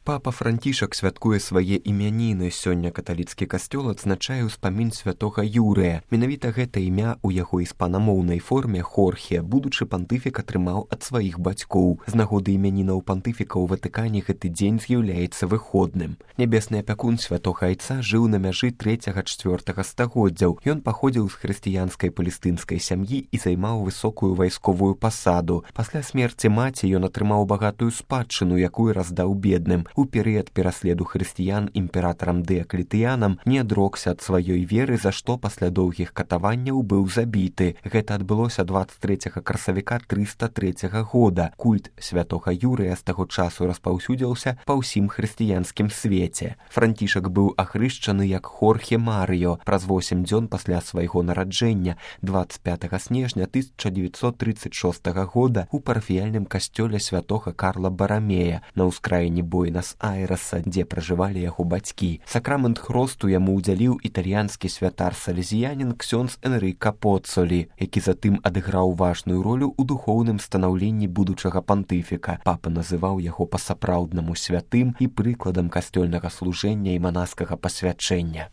Папа Францішак святкуе свае імяніны. Сёння каталіцкі касцёл адзначае ўспамін святога Юрыя. Менавіта гэта імя ў яго іспанамоўнай форме Хорхе будучы пантыфік атрымаў ад сваіх бацькоў. З нагоды імянінаў пантыфіка ў Ватыкане гэты дзень з'яўляецца выходным. Нябесны апякун святога айца жыў на мяжы 3-4 стагоддзяў. Ён паходзіў з хрысціянскай палестынскай сям'і і займаў высокую вайсковую пасаду. Пасля смерці маці ён атрымаў багатую спадчыну, якую раздаў бедным. У перыяд пераследу хрысціян імператарам Дыаклетыянам не адрокся ад сваёй веры, за што пасля доўгіх катаванняў быў забіты. Гэта адбылося 23 красавіка 303 года. Культ святога Юрыя з таго часу распаўсюдзіўся па ўсім хрысціянскім свеце. Францішак быў ахрышчаны як Хорхе Марыё праз 8 дзён пасля свайго нараджэння 25 снежня 1936 года у парафіяльным касцёле святога Карла Барамея на ўскраіне Буэнас-Айрэса, дзе пражывалі яго бацькі. Сакрамент хросту яму ўдзяліў італьянскі святар-салезіянін ксёндз Энрыка Поцолі, які затым адыграў важную ролю ў духоўным станаўленні будучага пантыфіка. Папа называў яго па-сапраўднаму святым і прыкладам касцёльнага служэння і манаскага пасвячэння.